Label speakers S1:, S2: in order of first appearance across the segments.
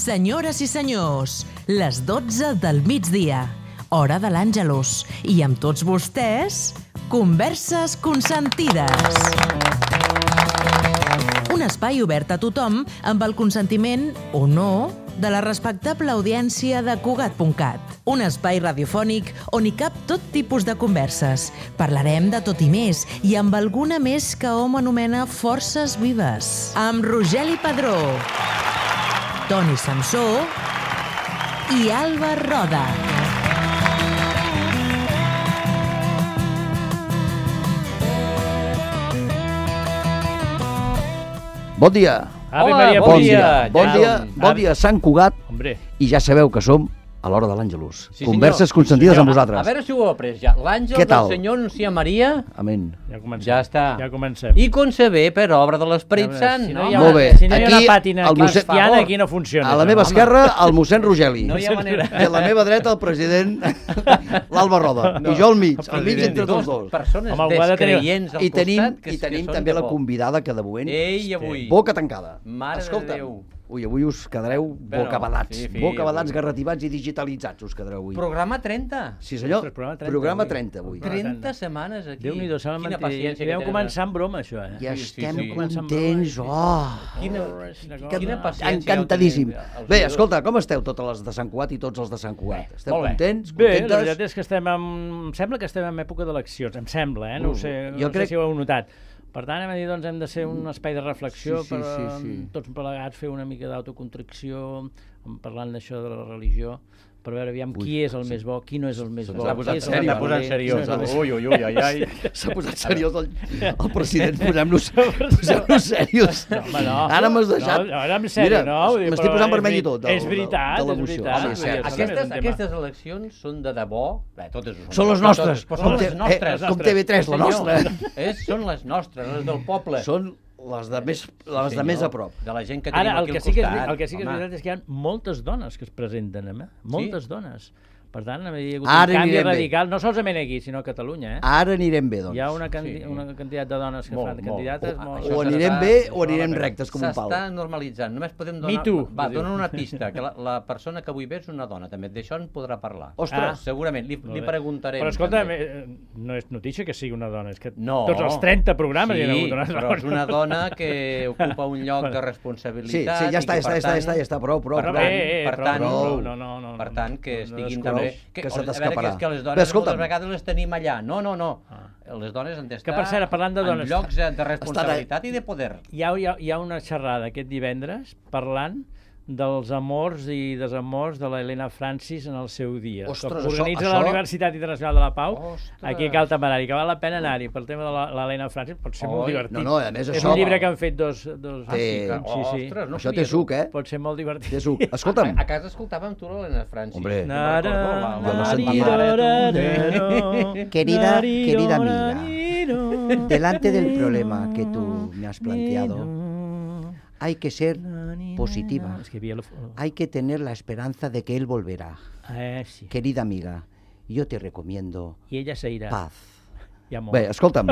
S1: Senyores i senyors, les 12 del migdia, hora de l'Àngelus, i amb tots vostès, Converses Consentides. Un espai obert a tothom amb el consentiment, o no, de la respectable audiència de Cugat.cat. Un espai radiofònic on hi cap tot tipus de converses. Parlarem de tot i més, i amb alguna més que hom anomena forces vives. Amb Rogeli Padró, Toni Samsó i Alba Roda.
S2: Bon dia.
S3: Ave Maria, bon dia.
S2: Bon dia, Sant Cugat.
S3: Hombre.
S2: I ja sabeu que som a l'hora de l'Àngelus.
S4: Sí,
S2: Converses
S4: senyor.
S2: consentides
S4: Sí,
S2: amb
S4: senyor.
S2: vosaltres.
S4: A veure si ho heu après ja. L'àngel
S2: Què
S4: del
S2: tal?
S4: Senyor anuncia Maria.
S2: Amén.
S3: Ja comencem.
S4: Ja està.
S3: Ja comencem.
S4: I concebé per obra de l'Esperit Sant.
S3: Si
S4: no?
S3: no hi ha,
S2: Molt bé.
S3: si no hi ha
S2: Aquí,
S3: una pàtina
S2: el mossèn-
S3: cristiana, aquí no funciona.
S2: A la
S3: això.
S2: meva esquerra, el mossèn Rogeli.
S4: No hi ha manera.
S2: I a la meva dreta, el president, l'Alba Roda. I jo al mig entre tots dos.
S4: Persones
S3: Home, ho ha de tenir.
S4: descreients al
S2: I tenim,
S4: costat que
S2: tenim
S4: són
S2: també
S4: de
S2: la
S4: por.
S2: convidada que de moment,
S4: Ei, avui.
S2: boca tancada.
S4: Mare de
S2: Escolta'm,
S4: Déu.
S2: avui us quedareu
S4: Bueno,
S2: bocabadats.
S4: sí,
S2: Bocabadats,
S4: avui.
S2: garrativats i digitalitzats us quedareu avui.
S4: Programa 30.
S2: Sí, senyor.
S3: Ostres,
S2: Programa 30 avui.
S4: 30 setmanes aquí.
S3: Déu-n'hi-do, s'ha de
S4: Quina
S3: mantenir.
S4: paciència que
S3: Vam
S4: tenen.
S3: començar amb broma, això, eh?
S2: Ja
S4: Sí, sí,
S2: estem
S4: sí.
S2: contents. Oh!
S4: Quina paciència.
S2: Encantadíssim.
S4: heu tenit, els
S2: Bé,
S4: oïdors.
S2: escolta, com esteu totes les de Sant Cugat i tots els de Sant Cugat? Esteu
S4: molt bé.
S2: contents?
S3: Bé, la
S2: Contentes?
S3: veritat és que em sembla que estem en època d'eleccions, em sembla, no ho sé,
S2: jo
S3: no
S2: crec-
S3: sé si ho heu notat. Per tant, doncs, hem de ser un espai de reflexió,
S2: Sí,
S3: per
S2: sí.
S3: tots plegats fer una mica d'autocontricció, parlant d'això de la religió, per veure aviam qui és el més bo, qui no és el més bo.
S4: S'ha posat
S3: qui és el
S4: seriós,
S3: més
S4: s'ha posat
S3: dolent,
S4: seriós.
S3: qui no és el més-
S4: Ui, ui, ui, ai, ai.
S2: S'ha posat seriós el president. Posem-nos seriós.
S3: Home, no.
S2: Ara m'has deixat...
S3: No, ara en sèrio,
S2: Mira,
S3: no? Vull dir,
S2: m'estic
S3: però
S2: posant vermell i tot.
S3: És veritat,
S2: de
S3: és
S2: l'emoció.
S3: veritat.
S2: Sí,
S3: Vull
S2: és
S3: dir,
S2: cert.
S3: això és un tema.
S4: Aquestes eleccions són de debò. Bé, totes ho
S2: Són les nostres.
S4: Però són les
S2: Com
S4: nostres.
S2: com TV3, la nostra.
S4: Són les nostres, les del poble.
S2: Són les de més
S4: Senyor,
S2: a prop.
S4: De la gent que tenim
S3: Ara,
S4: aquí
S3: el
S4: al
S3: que sí que
S4: costat.
S3: és
S4: Home.
S3: veritat és que hi ha moltes dones que es presenten, moltes dones. Per tant, hi ha hagut
S2: Ara
S3: un canvi
S2: anirem bé.
S3: radical, no solament aquí, sinó a Catalunya.
S2: Ara anirem bé, doncs.
S3: Hi ha una
S4: Sí.
S3: quantitat de dones que
S4: Molt,
S3: fan
S4: molt.
S3: candidates.
S4: Això
S2: O
S4: s'està-
S2: anirem bé o anirem rectes com un pal.
S4: S'està normalitzant. Només podem donar...
S3: Me too,
S4: Va,
S3: que diu.
S4: dona una pista, que la persona que avui ve és una dona, també. D'això en podrà parlar.
S2: Ostres.
S4: Segurament, li
S3: Molt bé.
S4: preguntarem.
S3: Però escolta,
S4: també.
S3: no és notícia que sigui una dona, és que
S4: No.
S3: tots els 30 programes hi ha hagut dones.
S4: però és una dona que ocupa un lloc de
S2: Sí,
S4: responsabilitat.
S2: sí, ja
S4: i
S2: està,
S4: que, per tant,
S2: ja està, prou.
S3: Però,
S4: per tant,
S3: no.
S4: Per tant, que estiguin
S2: descorreu,
S4: també...
S2: que se
S4: a veure,
S2: t'escaparà.
S4: que les
S2: Bé,
S4: dones
S2: escolta'm.
S4: moltes vegades les tenim allà. No. Les dones han d'estar
S3: Que, per cert, parlant de dones,
S4: en llocs de responsabilitat i de poder.
S3: Hi ha una xerrada aquest divendres parlant dels amors i desamors de l'Helena Francis en el seu dia.
S2: Ostres,
S3: que organitza
S2: això-
S3: la Universitat Internacional de la Pau,
S4: Ostres.
S3: aquí a Cal Temerari, que val la pena anar-hi pel tema de l'Helena Francis, pot ser molt
S4: Oi,
S3: divertit.
S2: no, a més
S3: És
S2: això-
S3: un llibre que han fet dos
S2: Té-
S3: sí.
S4: Ostres, no
S2: Això
S4: sabia
S2: té suc, eh?
S3: Pot ser molt divertit.
S2: Té suc. Escolta'm,
S4: A casa escoltàvem tu l'Helena Francis.
S2: Hombre.
S4: Jo me'n recordo,
S2: jo no sentia.
S5: Querida amiga, delante del problema que tú me has planteado, hay que ser positiva.
S3: És que hi havia
S5: Hay que tener la esperanza de que él volverá.
S3: sí.
S5: Querida amiga, yo te recomiendo
S3: I ella s'irà.
S5: paz.
S3: Ja molt.
S2: bé, escolta'm,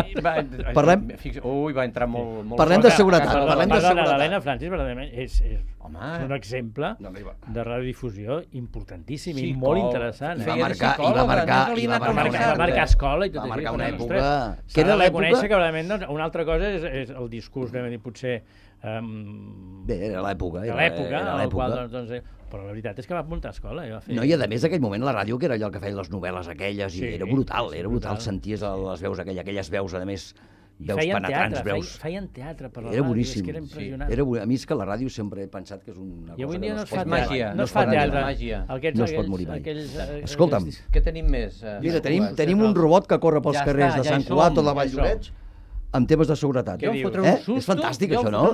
S2: Parlem-
S4: Ui, va entrar molt
S2: Parlem
S4: fort.
S2: de seguretat,
S4: A casa
S2: parlem de
S4: la-
S2: seguretat.
S3: L'Helena Francis verdaderament és
S4: Home,
S3: un exemple
S2: No, mira.
S3: de radiodifusió importantíssim i
S4: Sí,
S3: molt
S4: com-
S3: interessant.
S2: I
S4: feia
S2: va
S4: de
S2: marcar-
S4: psicòloga,
S2: i va marcar-
S4: no se li
S2: i va
S4: ha anat
S2: marcar-
S3: Va
S4: a
S3: marcar
S4: marcar.
S3: escola i tot
S2: Va
S3: això.
S2: marcar una
S3: Ostres,
S2: època-
S3: s'ha
S2: que era
S3: de
S2: l'època-
S3: reconèixer que realment, doncs, una altra cosa és el discurs, anem a dir, potser
S2: Bé, era l'època.
S3: de
S2: era
S3: l'època, en el qual,
S2: l'època.
S3: doncs, però la veritat és que va muntar escola. I va fer...
S2: No, i a més aquell moment la ràdio, que era allò que feien les novel·les aquelles,
S3: Sí,
S2: i era brutal,
S3: sí,
S2: era brutal,
S3: brutal.
S2: senties les veus, aquelles veus, a més,
S3: I
S2: veus
S3: feien
S2: penetrants,
S3: teatre,
S2: veus...
S3: feien teatre per la
S2: Era
S3: ràdio,
S2: boníssim.
S3: és que era impressionant.
S2: A mi és que la ràdio sempre he pensat que és una
S3: I avui
S2: cosa
S3: dia
S2: que
S3: no es
S2: pot
S3: fa
S2: morir
S4: màgia,
S2: mai.
S3: no es fa
S2: morir mai.
S3: teatre.
S4: màgia.
S2: No es pot morir mai.
S3: Escolta'm,
S2: Escolta'm,
S4: Què tenim més?
S2: Mira, tenim un robot que corre pels
S4: Ja
S2: carrers
S4: està,
S2: de
S4: ja
S2: Sant
S4: hi
S2: Cugat o
S4: som,
S2: de
S4: ja hi
S2: Valldoreix amb temes de seguretat.
S3: Què
S4: Jo em
S3: dius?
S4: fotré un susto.
S2: És fantàstic,
S4: jo em
S2: això, no?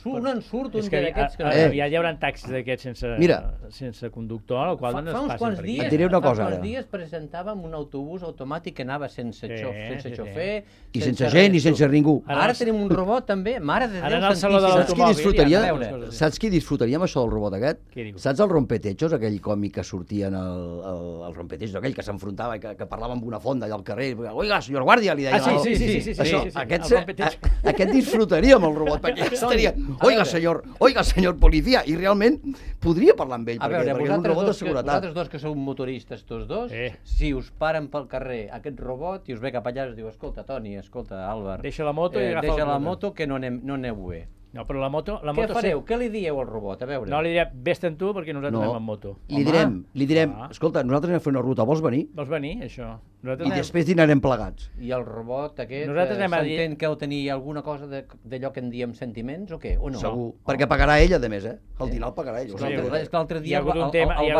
S4: fotré un ensurt,
S3: és
S4: un
S3: que
S4: d'aquests que...
S3: ja hi haurà taxis d'aquests
S2: Mira.
S3: sense conductor, el qual
S4: Fa
S3: no es
S4: uns
S3: passin
S4: quants
S3: per
S4: dies,
S3: aquí.
S2: Et diré una cosa,
S4: fa uns
S2: ara.
S4: dies presentàvem un autobús automàtic que anava sense
S3: Sí,
S4: sense
S3: sí.
S4: xofer,
S2: I sense gent i sense ningú.
S4: Ara tenim un robot també, mare de
S3: Ara
S4: Déu
S3: en el saló de
S4: santíssim.
S2: Saps qui
S3: l'automòbil,
S2: disfrutaria?
S3: ja, a veure.
S2: Saps qui disfrutaria amb això del robot aquest?
S3: Què dius?
S2: Saps el Rompetechos, aquell còmic que sortia en el Rompetechos, aquell que s'enfrontava i que parlava amb una fonda allà al carrer? Oiga, senyor guàrdia, li deia.
S3: Ah, sí.
S2: Això, aquest aquest disfrutaria amb el robot, perquè estaria, oiga, senyor policia, i realment podria parlar amb ell, perquè és un robot de seguretat.
S4: Vosaltres dos que sou motoristes, tots dos, si us paren pel carrer aquest robot i us ve cap allà i us diu, escolta, Toni, escolta, Àlvar,
S3: deixa la moto i agafa
S4: deixa la moto que no aneu bé.
S3: No, però la moto...
S4: Què fareu? Què li dieu al robot? A veure.
S3: No, li diré, vés-te'n tu, perquè nosaltres anem amb moto.
S2: Li direm, escolta, nosaltres anem a fer una ruta, vols venir?
S3: Vols venir, això?
S2: I després dinarem plegats.
S4: I el robot aquest
S3: s'entén
S4: que heu tenir alguna cosa d'allò que en diem sentiments o què? O no?
S2: Segur, perquè pagarà ell, a més, El dinar el pagarà ell.
S4: És que l'altre dia el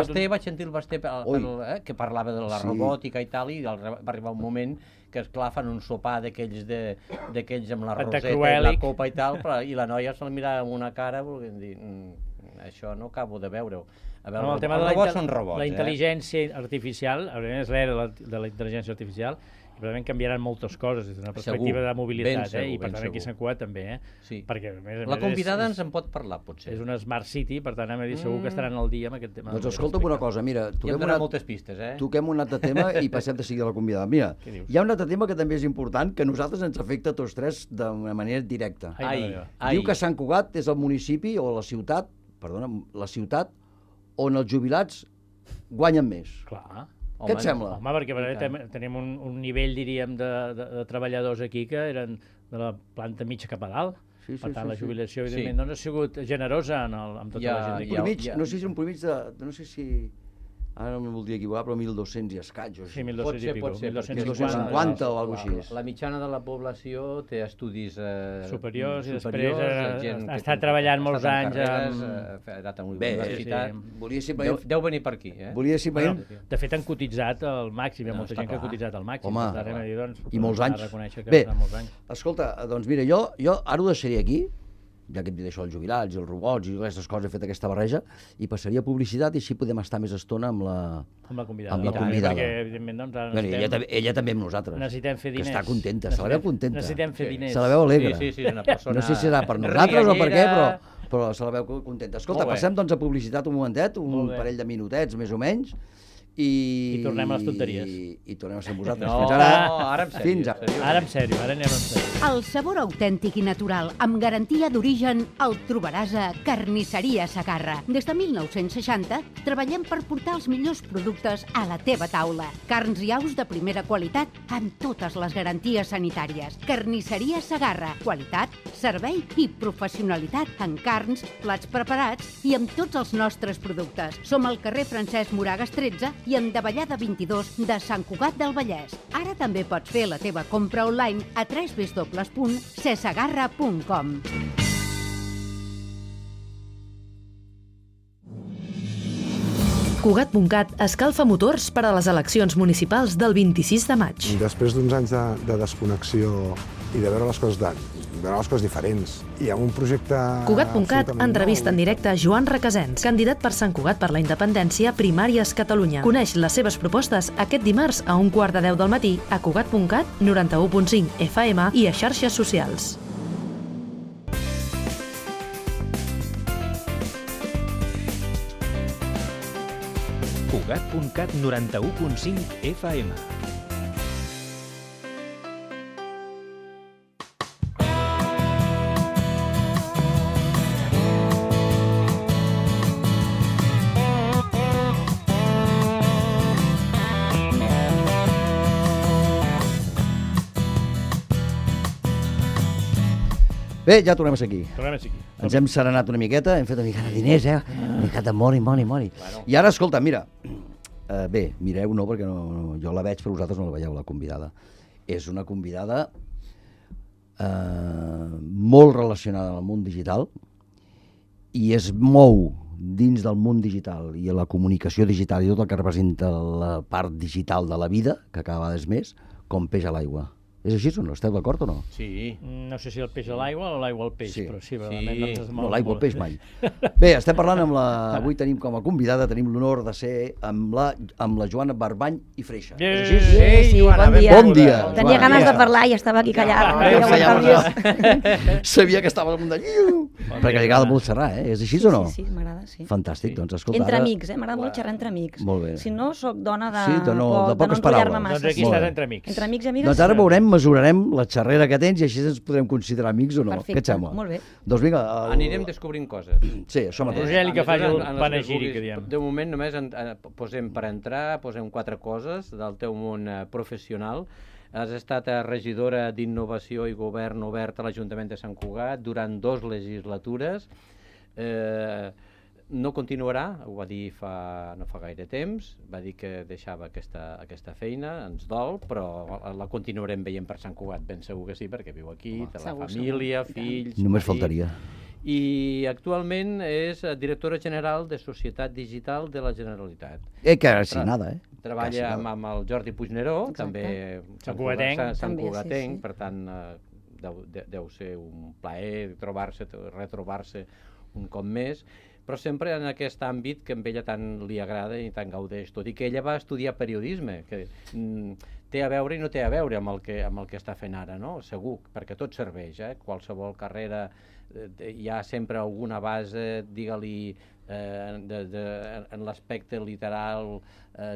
S4: Basté, vaig sentir el Basté que parlava de la robòtica i tal, i va arribar un moment que, esclar, fan un sopar d'aquells amb la roseta i la copa i tal, i la noia se'l mirava amb una cara volent dir, això no acabo de veure-ho. A veure, els robots són robots.
S3: La intel·ligència artificial, és l'era de la intel·ligència artificial, i probablement canviaran moltes coses des d'una perspectiva de mobilitat, i per tant aquí Sant Cugat també, perquè a més
S4: la convidada ens en pot parlar, potser.
S3: És una smart city, per tant segur que estaran al dia amb aquest tema.
S2: Doncs escolta'm una cosa, mira,
S4: moltes pistes,
S2: toquem un altre tema i passem de seguida a la convidada. Mira, hi ha un altre tema que també és important, que a nosaltres ens afecta a tots tres d'una manera directa. Diu que Sant Cugat és el municipi o la ciutat on els jubilats guanyen més.
S3: Clar.
S2: Què et sembla?
S3: Home, perquè tenim un nivell, diríem, de treballadors aquí que eren de la planta mitja cap a dalt. Per tant, la jubilació, evidentment, no ha sigut generosa amb tota la gent.
S2: No sé si un promig de... No sé si... Ara no em voldria equivocar, però 1.200 i escaig.
S3: Sí, 1.200 i pico.
S2: 1.250 o alguna cosa així.
S4: La mitjana de la població té estudis
S3: superiors i després ha estat treballant molts anys
S4: a universitat. Deu venir per aquí.
S2: De
S3: fet, han cotitzat al màxim. Hi ha molta gent que ha cotitzat al màxim.
S2: Home, i molts anys. Bé, escolta, doncs mira, jo ara ho deixaré aquí, ja que hem dit això, els jubilats i els robots i aquestes coses, he fet aquesta barreja, i passaria a publicitat i així podem estar més estona amb la convidada.
S3: Perquè, evidentment, doncs...
S2: Ella també amb nosaltres.
S3: Necessitem fer diners.
S2: Que està contenta, se la veu contenta.
S3: Necessitem fer diners.
S2: Se la veu alegre.
S4: Sí, és una persona...
S2: No sé si serà per nosaltres o per què, però se la veu contenta. Escolta, passem doncs a publicitat un momentet, un parell de minutets, més o menys,
S3: i tornem a les tonteries.
S2: I tornem a ser amb vosaltres.
S4: Ara en sèrio.
S3: Ara en sèrio, ara anem en sèrio.
S6: El sabor autèntic i natural, amb garantia d'origen, el trobaràs a Carnisseria Segarra. Des de 1960 treballem per portar els millors productes a la teva taula. Carns i aus de primera qualitat amb totes les garanties sanitàries. Carnisseria Segarra. Qualitat, servei i professionalitat en carns, plats preparats i amb tots els nostres productes. Som al carrer Francesc Moragas 13 i en Davallada 22 de Sant Cugat del Vallès. Ara també pots fer la teva compra online a www.cesegarra.com.
S1: Cugat.cat escalfa motors per a les eleccions municipals del 26 de maig.
S7: Després d'uns anys de desconnexió i de veure les coses diferents, hi ha un projecte...
S1: Cugat.cat entrevista en directe a Joan Requesens, candidat per Sant Cugat per la Independència, Primàries Catalunya. Coneix les seves propostes aquest dimarts a 11:45 del matí a Cugat.cat, 91.5 FM i a xarxes socials.
S8: Cugat.cat, 91.5 FM.
S2: Bé, ja tornem a ser aquí.
S3: Ens
S2: hem serenat una miqueta, hem fet una mica de diners, una mica de mori. I ara, escolta, mira, bé, mireu, no, perquè jo la veig, però vosaltres no la veieu, la convidada. És una convidada molt relacionada amb el món digital i es mou dins del món digital i la comunicació digital i tot el que representa la part digital de la vida, que cada vegada és més, com peix a l'aigua. És així o no? Esteu d'acord o no?
S3: Sí. No sé si el peix a l'aigua o l'aigua al peix, però sí.
S2: No, l'aigua al peix mai. Bé, estem parlant amb la... Avui tenim com a convidada, tenim l'honor de ser amb la Joana Barbany i Freixa. És així?
S9: Sí, bon dia.
S2: Bon dia.
S9: Tenia ganes de parlar i estava aquí callada.
S2: Sabia que estava al munt de... Perquè li agrada molt xerrar, És així o no?
S9: Sí, m'agrada, sí.
S2: Fantàstic, doncs escolta...
S9: Entre amics, m'agrada molt xerrar entre amics.
S2: Molt bé.
S9: Si no, soc dona de
S2: poques
S9: enrotllar-me massa.
S3: Doncs aquí estàs entre amics.
S9: Entre amics i amigues.
S2: Doncs ara veurem mesurarem la xerrera que tens i així ens podrem considerar amics o no.
S9: Perfecte,
S2: Què et sembla?
S9: molt bé.
S2: Doncs vinga...
S4: Anirem descobrint coses.
S2: Sí, això mateix.
S3: Rogeli, que faci el panegíric, que diem.
S4: De moment només posem per entrar, posem 4 coses del teu món professional. Has estat regidora d'Innovació i Govern Obert a l'Ajuntament de Sant Cugat durant 2 legislatures. No continuarà, ho va dir no fa gaire temps, va dir que deixava aquesta feina, ens dol, però la continuarem veient per Sant Cugat, ben segur que sí, perquè viu aquí, té la família, fills...
S2: Només faltaria.
S4: I actualment és directora general de Societat Digital de la Generalitat.
S2: Quasi nada,
S4: Treballa amb el Jordi Puigneró, també Sant Cugatenc, per tant deu ser un plaer retrobar-se un cop més, però sempre en aquest àmbit que a ella tant li agrada i tant gaudeix, tot i que ella va estudiar periodisme, que té a veure i no té a veure amb el que està fent ara, no? Segur, perquè tot serveix, qualsevol carrera hi ha sempre alguna base, digue-li, en l'aspecte literal,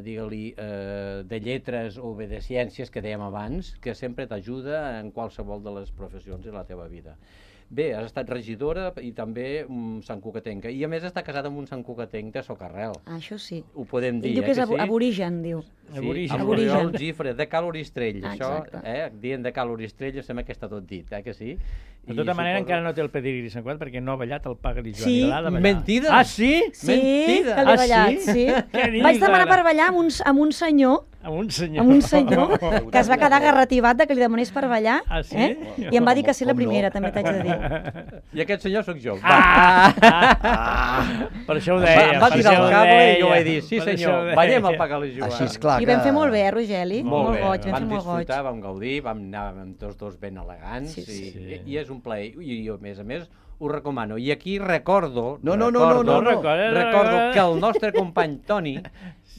S4: digue-li, de lletres o bé de ciències que dèiem abans, que sempre t'ajuda en qualsevol de les professions de la teva vida. Bé, has estat regidora i també santcugatenca. I a més està casada amb un santcugatenc de Socarrel.
S9: Això sí.
S4: Ho podem dir,
S9: diu que és aborigen, diu.
S4: Sí, amb l'Oriol Gifre, de Cal Oristrell. Això, dient de Cal Oristrell, sembla que està tot dit, que sí?
S3: De tota manera, encara no té el pedigrí Sant Cugat perquè no ha ballat el Pagali Joan.
S9: Sí.
S4: Mentida!
S3: Ah, sí?
S9: Sí, que l'he ballat, sí. Vaig demanar per ballar amb un senyor que es va quedar agarrativat de que li demanés per ballar, i em va dir que sí la primera, també t'haig de dir.
S4: I aquest senyor sóc jo.
S3: Per això ho deia.
S4: Em va tirar el cable i jo vaig dir, sí senyor, ballem el Pagali Joan.
S2: Així és clar que...
S9: I vam fer molt bé, Rogeli? Molt goig, vam fer molt goig.
S4: Vam disfrutar, vam gaudir, vam anar amb tots dos ben elegants, i és un plaer. I jo, a més, ho recomano. I aquí recordo que el nostre company Toni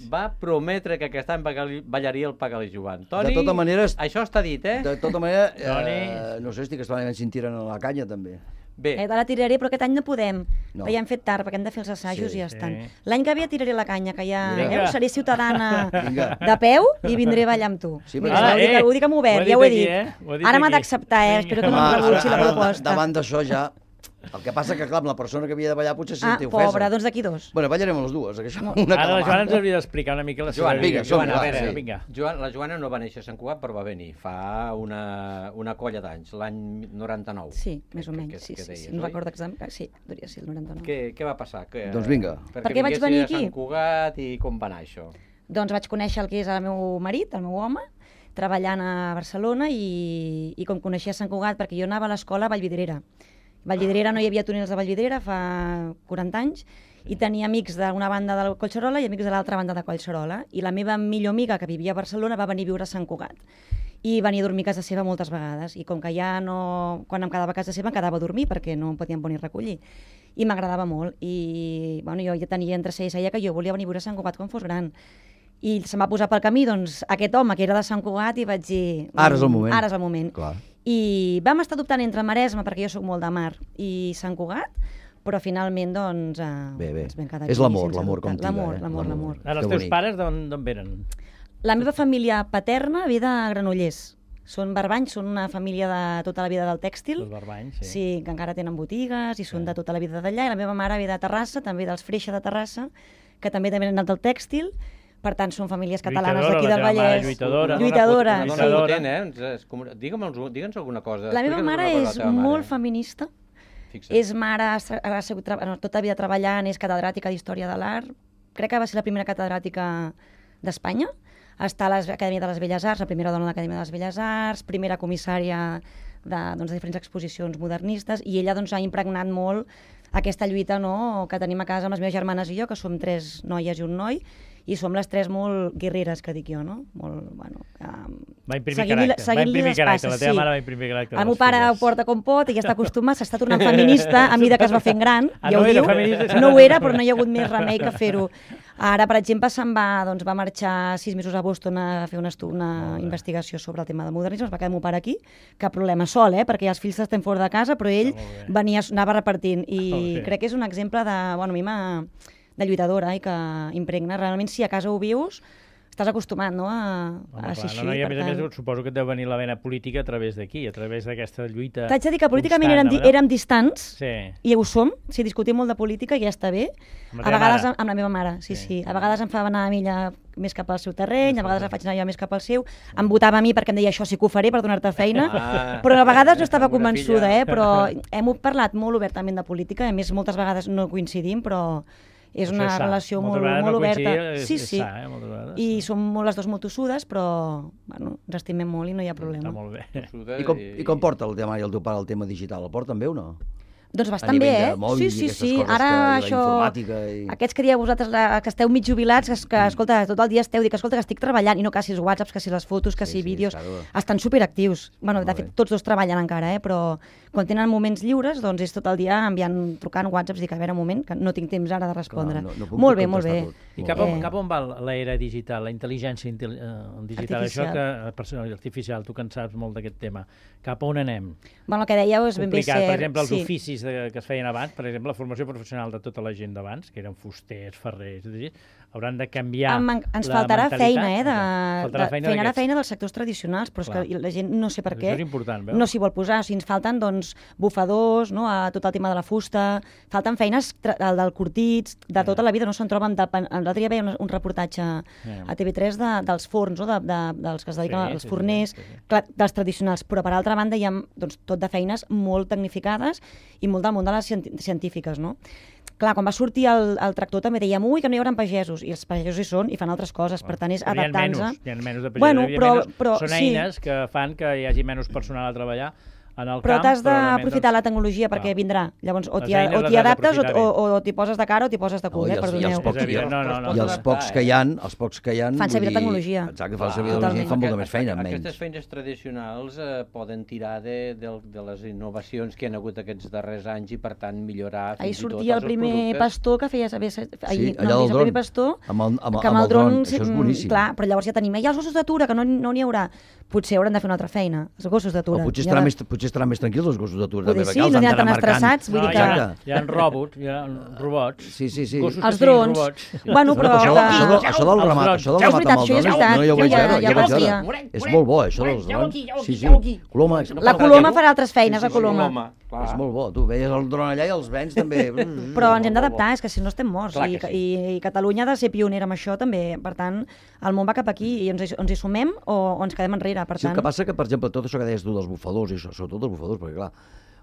S4: va prometre que aquest any ballaria el Pagali Joan. Toni,
S2: de tota manera,
S4: això està dit,
S2: De tota manera, no sé, estic esperant si en tiren a la canya, també.
S9: Bé. La tiraré, però aquest any no podem. Ja hem fet tard, perquè hem de fer els assajos i ja estan. L'any que ve tiraré la canya, que ja seré ciutadana de peu i vindré a ballar amb tu. Ho dic amb obert, ja ho he dit. Ara m'ha d'acceptar, espero que no em rebutgi la proposta.
S2: Davant d'això ja... El que passa que, clar, amb la persona que havia de ballar potser se sentia ofesa.
S9: Pobra, doncs d'aquí 2.
S2: Bueno, ballarem les dues.
S3: Ara la Joana ens hauria d'explicar una mica la seva vida.
S4: La Joana no va néixer a Sant Cugat, però va venir fa una colla d'anys, l'any 99.
S9: Sí, més o menys, sí. No recordo exactament. Sí, podria ser el 99.
S4: Què va passar?
S2: Doncs vinga.
S9: Per què vaig venir aquí?
S4: A Sant Cugat i com va anar això?
S9: Doncs vaig conèixer el que és el meu marit, el meu home, treballant a Barcelona i com coneixia Sant Cugat, perquè jo anava a l'escola a Vallvidrera. Vallvidrera no hi havia túnels de Vallvidrera fa 40 anys i tenia amics d'una banda de Collserola i amics de l'altra banda de Collserola, i la meva millor amiga que vivia a Barcelona va venir a viure a Sant Cugat i venia a dormir a casa seva moltes vegades, i com que ja no... quan em quedava a casa seva em quedava a dormir perquè no em podien venir a recollir, i m'agradava molt, i bueno, jo ja tenia entre ser i seia que jo volia venir a viure a Sant Cugat quan fos gran, i se'm va posar pel camí doncs aquest home que era de Sant Cugat i vaig dir...
S2: Ara és el moment.
S9: Ara és el moment.
S2: Clar.
S9: I vam estar dubtant entre Maresme, perquè jo sóc molt de mar, i Sant Cugat, però finalment doncs ens vam quedar aquí.
S2: És l'amor com tira.
S9: L'amor.
S3: Els teus pares d'on venen?
S9: La meva família paterna ve de Granollers. Són barbanys, són una família de tota la vida del tèxtil.
S3: Els barbanys, sí.
S9: Sí, que encara tenen botigues i són de tota la vida d'allà. I la meva mare ve de Terrassa, també dels Freixa de Terrassa, que també han anat del tèxtil. Per tant, són famílies catalanes d'aquí del Vallès.
S3: Lluitadora.
S4: Digue'ns alguna cosa.
S9: La meva mare és molt feminista. És mare, ha sigut tota la vida treballant, és catedràtica d'Història de l'Art. Crec que va ser la primera catedràtica d'Espanya. Està a l'Acadèmia de les Belles Arts, la primera dona de l'Acadèmia de les Belles Arts, primera comissària de diferents exposicions modernistes, i ella ha impregnat molt aquesta lluita que tenim a casa amb les meves germanes i jo, que som 3 noies i un noi, i som les 3 molt guerreres, que dic jo, no? Molt, bueno...
S3: Va imprimir caràcter, la teva mare va imprimir caràcter.
S9: El meu pare ho porta com pot i ja està acostumat, s'està tornant feminista a mesura que es va fent gran, ja ho diu. No ho era, però no hi ha hagut més remei que fer-ho. Ara, per exemple, va marxar 6 mesos a Boston a fer una investigació sobre el tema del modernisme, es va quedar el meu pare aquí, cap problema, sol, perquè els fills estan fora de casa, però ell anava repartint, i crec que és un exemple de, bueno, a mi de lluitadora i que impregna realment, si a casa ho vius, estàs acostumat, no?, a ser així.
S3: I a més, suposo que et deu venir la vena política a través d'aquí, a través d'aquesta lluita.
S9: T'haig de dir que políticament érem distants, i ho som, si discutim molt de política ja està bé. A vegades amb la meva mare, sí. A vegades em fa anar a mi més cap al seu terreny, a vegades faig anar jo més cap al seu. Em votava a mi perquè em deia això sí que ho faré per donar-te feina, però a vegades no estava convençuda, però hem parlat molt obertament de política, a més moltes vegades no coincidim, però és una relació molt oberta. Sí, i som les dues molt tossudes, però ens estimem molt i no hi ha problema.
S2: I com porta el tema i el teu pare el tema digital? El porten bé o no?
S9: Doncs bastant bé, Sí. Ara això, aquests que dieu vosaltres que esteu mig jubilats, que escolta, tot el dia esteu dient que escolta, que estic treballant, i no que si els whatsapps, que si les fotos, que si vídeos, estan superactius. Bueno, de fet, tots dos treballen encara, però quan tenen moments lliures, doncs és tot el dia trucant whatsapps, dic, a veure, un moment, que no tinc temps ara de respondre. Molt bé.
S3: I cap on va l'era digital, la intel·ligència digital, això artificial, tu que en saps molt d'aquest tema, cap on anem?
S9: Bueno, el que dèieu és ben bé
S3: cert. Per exemple, els oficis que es feien abans, per exemple, la formació professional de tota la gent d'abans, que eren fusters, ferrers, hauran de canviar la mentalitat.
S9: Ens faltarà feina dels sectors tradicionals, però és que la gent no sé per què no s'hi vol posar. O sigui, ens falten bufadors, a tot el tema de la fusta, falten feines del curtits, de tota la vida, no se'n troben. L'altre dia veia un reportatge a TV3 dels forns, dels que es dediquen als forners, dels tradicionals, però per altra banda hi ha tot de feines molt tecnificades i molt del món de les científiques, no? Clar, quan va sortir el tractor també dèiem que no hi haurà pagesos, i els pagesos hi són i fan altres coses, per tant és adaptant-se.
S3: Hi ha menys de pagesos, són eines que fan que hi hagi menys personal a treballar en el camp.
S9: Però t'has d'aprofitar la tecnologia perquè vindrà. Llavors, o t'hi adaptes o t'hi poses de cara o t'hi poses de cul, perdoneu.
S2: I els pocs que hi ha...
S9: Fan servir la tecnologia.
S2: Exacte, fan servir la tecnologia i fan molta més feina.
S4: Aquestes feines tradicionals poden tirar de les innovacions que hi ha hagut aquests darrers anys i, per tant, millorar fins i tot els productes.
S9: Ahir sortia el primer pastor que feia saber...
S2: Sí, allà del dron. Amb el dron, això és boníssim.
S9: Clar, però llavors ja tenim els gossos d'atura, que no n'hi haurà. Potser hauran de fer una altra feina, els gossos d'atura.
S2: Potser estaran més tranquils els gossos d'atura.
S9: Sí, no n'hi ha tan estressats.
S3: Hi ha robots.
S2: Sí.
S9: Els drons. Bueno, però...
S2: Això del ramat amb el dron, no hi ho vaig veure. És molt bo, això dels drons. Sí.
S9: La coloma farà altres feines, la coloma.
S2: És molt bo. Tu veies el dron allà i els vents també...
S9: Però ens hem d'adaptar, és que si no estem morts. I Catalunya ha de ser pionera amb això també. Per tant, el món va cap aquí i ens hi sumem o ens quedem enrere.
S2: Sí, el que passa que, per exemple, tot això que deies tu dels bufadors, i sobretot els bufadors, perquè clar,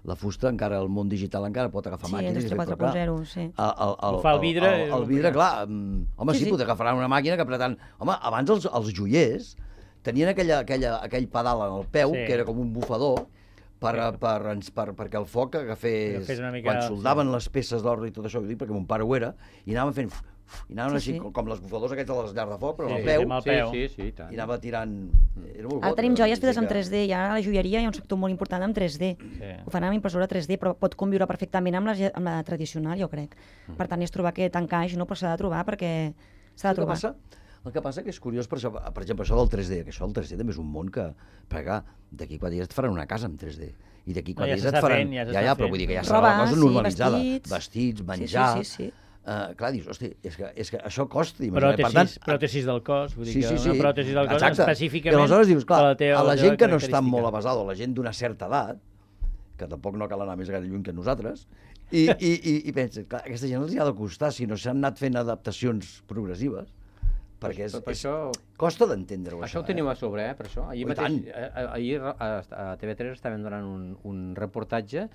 S2: la fusta encara, el món digital encara pot agafar màquines.
S9: Sí, Indústria 4.0, sí.
S3: El vidre...
S2: El vidre, clar, home, sí, pot agafar una màquina que apretant... Home, abans els joiers tenien aquell pedal en el peu, que era com un bufador, perquè el foc agafés... Quan soldaven les peces d'or i tot això, perquè mon pare ho era, i anaven fent... I anaven així, com les bufadors aquests de les llars de foc, però amb el peu, i anava tirant...
S9: Ara tenim joies fetes en 3D, i ara a la joieria hi ha un sector molt important en 3D. Ho fan amb impressora 3D, però pot conviure perfectament amb la tradicional, jo crec. Per tant, és trobar aquest encaix, però s'ha de trobar perquè s'ha de trobar.
S2: El que passa que és curiós, per exemple, això del 3D, que això del 3D també és un món que, perquè d'aquí 4 dies et faran una casa amb 3D. I d'aquí 4 dies et faran... Ja, però vull dir que ja serà una cosa normalitzada. Vestits, menjar... Clar, dius, hosti, és que això costa.
S3: Pròtesis del cos, vull dir que una pròtesi del cos específicament...
S2: I aleshores dius, clar, a la gent que no està molt avasada, o la gent d'una certa edat, que tampoc no cal anar més gaire lluny que nosaltres, i penses, clar, aquesta gent els hi ha de costar, si no s'han anat fent adaptacions progressives, perquè costa d'entendre-ho.
S4: Això ho tenim a sobre, per això. Ahir a TV3 estàvem donant un reportatge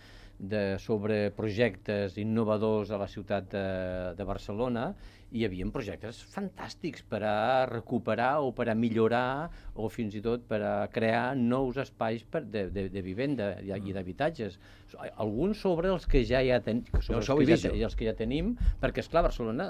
S4: sobre projectes innovadors a la ciutat de Barcelona, i hi havia projectes fantàstics per a recuperar o per a millorar o fins i tot per a crear nous espais de vivenda i d'habitatges. Alguns sobre els que ja tenim, els que ja tenim, perquè, esclar, a Barcelona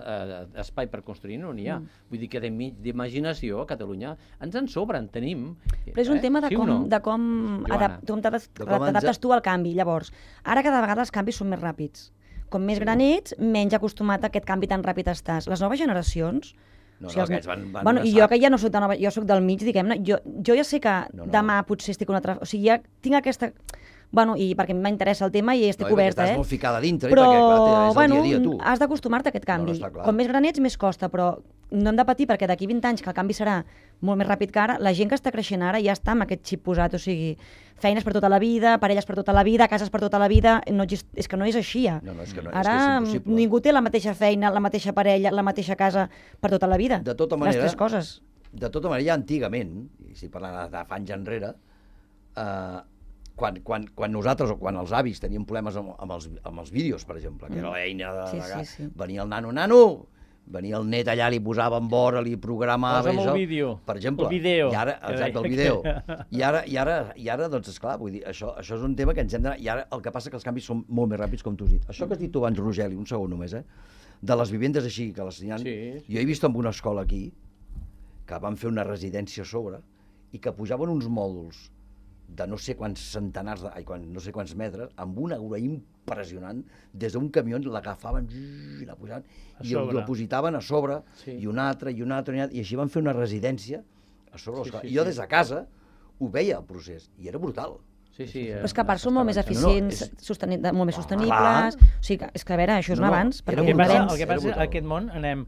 S4: espai per construir no n'hi ha. Vull dir que d'imaginació a Catalunya ens en sobren, tenim.
S9: Però és un tema de com t'adaptes tu al canvi. Llavors, ara cada vegada els canvis són més ràpids. Com més gran ets, menys acostumat a aquest canvi tan ràpid estàs. Les noves generacions...
S2: aquests van...
S9: I jo que ja no soc de nova, jo soc del mig, diguem-ne, jo ja sé que demà potser estic una altra... O sigui, ja tinc aquesta... Bueno, i perquè m'interessa el tema i estic oberta,
S2: Estàs molt ficada dintre,
S9: però,
S2: perquè clar, és el
S9: bueno,
S2: dia a dia, tu.
S9: has d'acostumar-te a aquest canvi. Com més gran ets, més costa, però no hem de patir perquè d'aquí 20 anys, que el canvi serà molt més ràpid que ara, la gent que està creixent ara ja està amb aquest xip posat, o sigui, feines per tota la vida, parelles per tota la vida, cases per tota la vida, és que no és així ja.
S2: No, és que no,
S9: ara
S2: és impossible.
S9: Ningú té la mateixa feina, la mateixa parella, la mateixa casa per tota la vida.
S2: De tota manera,
S9: les tres coses.
S2: De tota manera, antigament, i si parlant de fa anys enrere, quan nosaltres o quan els avis teníem problemes amb els vídeos, per exemple, que era l'eina de... Venia el nano, venia el net allà, li posava en vora, li programava...
S3: Posa'm el vídeo,
S2: per exemple.
S3: el vídeo.
S2: Exacte, el vídeo. I ara, doncs, esclar, vull dir, això és un tema que ens hem d'anar... I ara el que passa que els canvis són molt més ràpids, com tu has dit. Això que has dit tu abans, Rogeli, un segon només, de les vivendes així, que les tenien... Jo he vist en una escola aquí, que van fer una residència a sobre, i que pujaven uns mòduls de no sé quants centenars, no sé quants metres, amb una grua impressionant, des d'un camió l'agafaven i la pujaven, i el depositaven a sobre, i un altre, i així van fer una residència a sobre l'escola. I jo des de casa ho veia, el procés, i era brutal.
S9: Però és que a part són molt més eficients, molt més sostenibles, o sigui, és que a veure, això és un avanç.
S3: El que passa en aquest món anem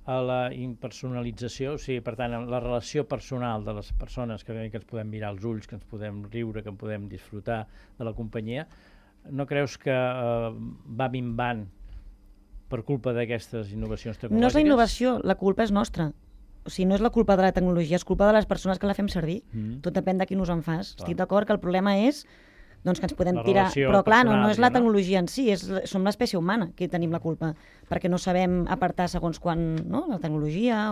S3: a la impersonalització, o sigui, per tant, la relació personal de les persones que ens podem mirar als ulls, que ens podem riure, que en podem disfrutar de la companyia, no creus que va minvant per culpa d'aquestes innovacions tecnològiques?
S9: No és la innovació, la culpa és nostra. O sigui, no és la culpa de la tecnologia, és culpa de les persones que la fem servir. Tot depèn de qui nos en fas. Estic d'acord que el problema és doncs que ens podem tirar... Però clar, no és la tecnologia en si, som l'espècie humana que tenim la culpa, perquè no sabem apartar segons quan, no?, la tecnologia,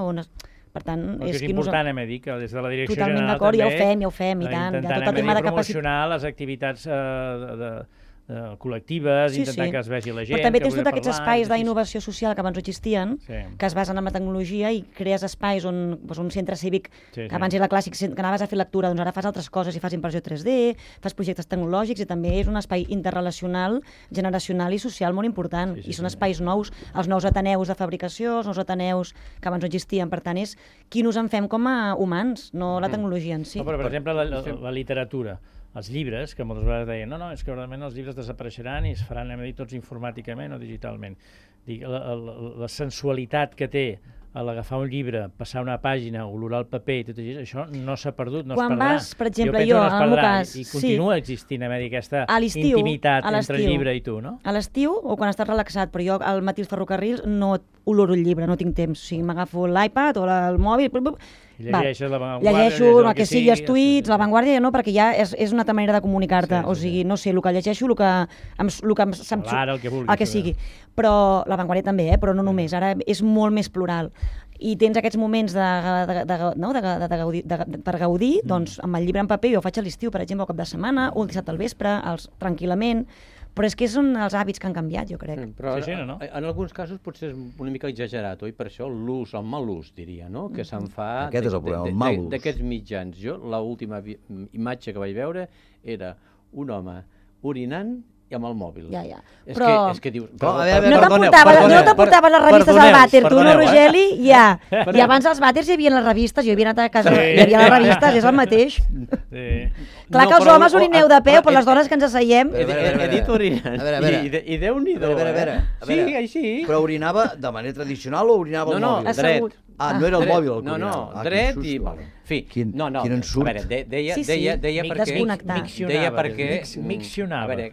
S9: per tant...
S3: És important, hem de dir, que des de la direcció
S9: general
S3: també...
S9: Totalment d'acord, ja ho fem, i tant.
S3: Intentant promocionar les activitats col·lectives, intentar que es vegi la gent...
S9: Però també tens tots aquests espais d'innovació social que abans no existien, que es basen en la tecnologia i crees espais on un centre cívic, que abans era clàssic, que anaves a fer lectura, doncs ara fas altres coses i fas impressió 3D, fas projectes tecnològics i també és un espai interrelacional, generacional i social molt important. I són espais nous, els nous ateneus de fabricació, els nous ateneus que abans no existien. Per tant, és qui nos en fem com a humans, no la tecnologia en si.
S3: Però, per exemple, la literatura, els llibres, que moltes vegades deien no, és que realment els llibres desapareixeran i es faran, hem de dir, tots informàticament o digitalment. La sensualitat que té a l'agafar un llibre, passar una pàgina, olorar el paper i tot això no s'ha perdut, no es perdrà.
S9: Quan vas, per exemple, jo, en el meu cas...
S3: I continua existint, aquesta intimitat entre el llibre i tu, no?
S9: A l'estiu o quan estàs relaxat, però jo al matí als ferrocarrils no oloro el llibre, no tinc temps. O sigui, m'agafo l'iPad o el mòbil...
S3: Llegeixes La Vanguardia,
S9: llegeixo el que sigui, els tuits, La Vanguardia, no, perquè ja és una altra manera de comunicar-te. O sigui, no sé, el que llegeixo, el que sigui. Però La Vanguardia també, però no només. Ara és molt més plural. I tens aquests moments per gaudir, doncs amb el llibre en paper jo ho faig a l'estiu, per exemple, al cap de setmana, o el dissabte al vespre, tranquil·lament, però és que són els hàbits que han canviat, jo crec.
S4: Però en alguns casos potser és una mica exagerat, oi? Per això l'ús, el mal ús, diria, no? Que se'n fa d'aquests mitjans. Jo, l'última imatge que vaig veure era un home orinant i amb el mòbil.
S9: Ja.
S4: Però... És que dius...
S9: No t'aportaves les revistes al vàter, tu, no, Rogeli? Ja. I abans als vàters hi havia les revistes, jo havia anat a casa, hi havia les revistes, és el mateix. Clar que els homes orineu de peu, però les dones que ens asseiem...
S4: He dit orinant. I Déu-n'hi-do. Sí, així.
S2: Però orinava de manera tradicional o orinava al mòbil?
S4: No, dret.
S2: No era el mòbil el que
S4: orinava. No, dret i...
S2: Quin ensurt.
S4: A veure, deia perquè...
S3: Miccionava.
S4: A veure,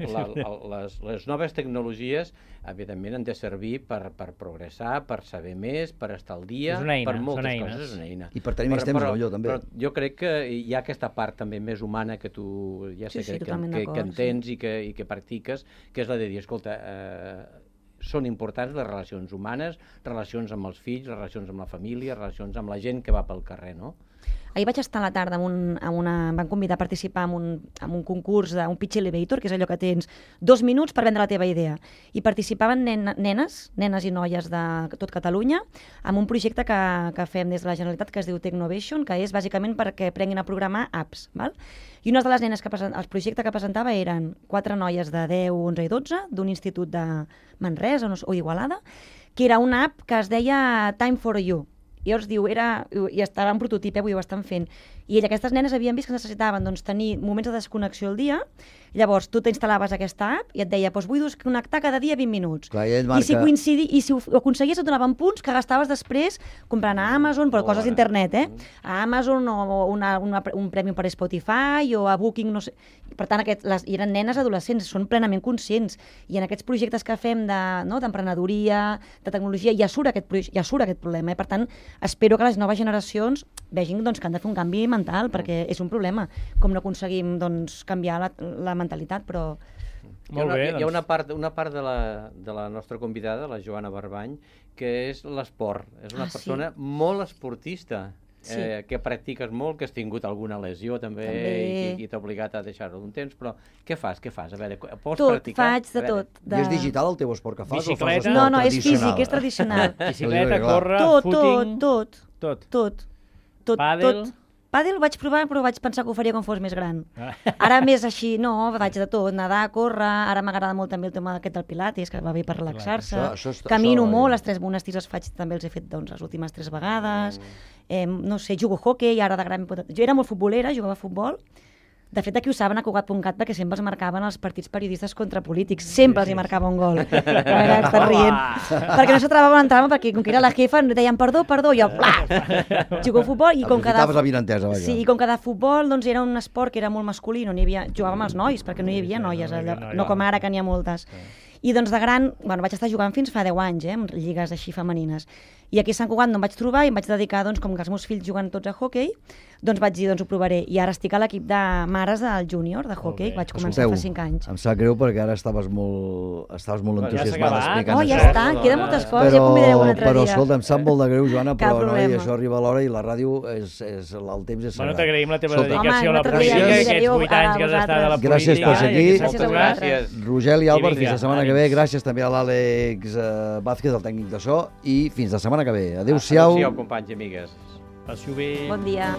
S4: les noves tecnologies, evidentment, han de servir per progressar, per saber més, per estar al dia, per moltes coses. És una eina.
S2: I per tenir més temps, jo també.
S4: Però jo crec que hi ha aquesta part també més humana que tu ja sé que entens i que practiques, que és la de dir, escolta, són importants les relacions humanes, relacions amb els fills, relacions amb la família, relacions amb la gent que va pel carrer, no?
S9: Ahir vaig estar a la tarda em van convidar a participar en un concurs d'un pitch elevator, que és allò que tens 2 minuts per vendre la teva idea. I participaven nenes i noies de tot Catalunya en un projecte que fem des de la Generalitat que es diu Technovation, que és bàsicament perquè aprenguin a programar apps. I una de les nenes el projecte que presentava eren 4 noies de 10, 11 i 12 d'un institut de Manresa o Igualada, que era una app que es deia Time for You. I llavors diu, i estava en prototip, vull dir, ho estan fent. I aquestes nenes havien vist que necessitaven tenir moments de desconnexió al dia. Llavors, tu t'instal·laves aquesta app i et deia, vull desconnectar cada dia 20 minuts.
S2: Clar,
S9: I si ho aconseguies et donaven punts que gastaves després comprant a Amazon, però coses d'internet, a Amazon o un premi per Spotify o a Booking, no sé. Per tant, eren nenes adolescents, són plenament conscients. I en aquests projectes que fem d'emprenedoria, de tecnologia, ja surt aquest problema. Per tant, espero que les noves generacions vegin que han de fer un canvi mental, perquè és un problema, com no aconseguim canviar la mentalitat, però...
S4: Hi ha una part de la nostra convidada, la Joana Barbany, que és l'esport. És una persona molt esportista, que practiques molt, que has tingut alguna lesió també. I t'ha obligat a deixar-ho un temps, però què fas? A veure, pots practicar?
S9: Faig de tot.
S2: I és digital el teu esport que fas?
S3: Bicicleta?
S9: No, és físic, és tradicional.
S3: Bicicleta, córrer, footing...
S9: Tot. Pàdel vaig provar, però vaig pensar que ho faria quan fos més gran. Ara més així, no, vaig de tot, nedar, córrer, ara m'agrada molt també el tema aquest del pilates, que va bé per relaxar-se. Camino molt, els 3 monestirs els faig, també els he fet les últimes 3 vegades. No sé, jugo hoquei, ara de gran... Jo era molt futbolera, jugava a futbol. De fet, aquí ho saben a Cugat.cat perquè sempre es marcaven els partits periodistes contra polítics. Sempre els hi marcava un gol. Estàs rient. Perquè no s'atrevava a entrar, perquè com que era la jefa deien perdó, i jo, jugo a futbol i com cada... Sí, i com cada futbol era un esport que era molt masculí, jugàvem els nois, perquè no hi havia noies allà, no com ara que n'hi ha moltes. I de gran, vaig estar jugant fins fa 10 anys, en lligues així femenines. I aquí a Sant Cugat no em vaig trobar i em vaig dedicar, com que els meus fills juguen tots a hoquei, vaig dir, ho provaré. I ara estic a l'equip de mares del júnior, de hoquei, vaig començar fa 5 anys.
S2: Em sap greu perquè ara estaves molt entusiasmada explicant
S9: això. Ja està, queden moltes coses, ja convidaré un altre dia.
S2: Però escolta, em sap molt de greu, Joana, però això arriba a l'hora i la ràdio, el temps és sagrat.
S3: T'agraïm la teva dedicació a la política, aquests 8 anys que has estat a la política.
S2: Gràcies per ser aquí.
S4: Moltes gràcies.
S2: Rogel i Àlvar, fins la setmana que ve. Gràcies també a l'Àlex Vázquez, el tècnic de so, i fins la setmana que ve. Adéu-siau.
S4: Adéu-siau, companys i amigues.
S3: Passi-ho bé.
S9: Bon dia.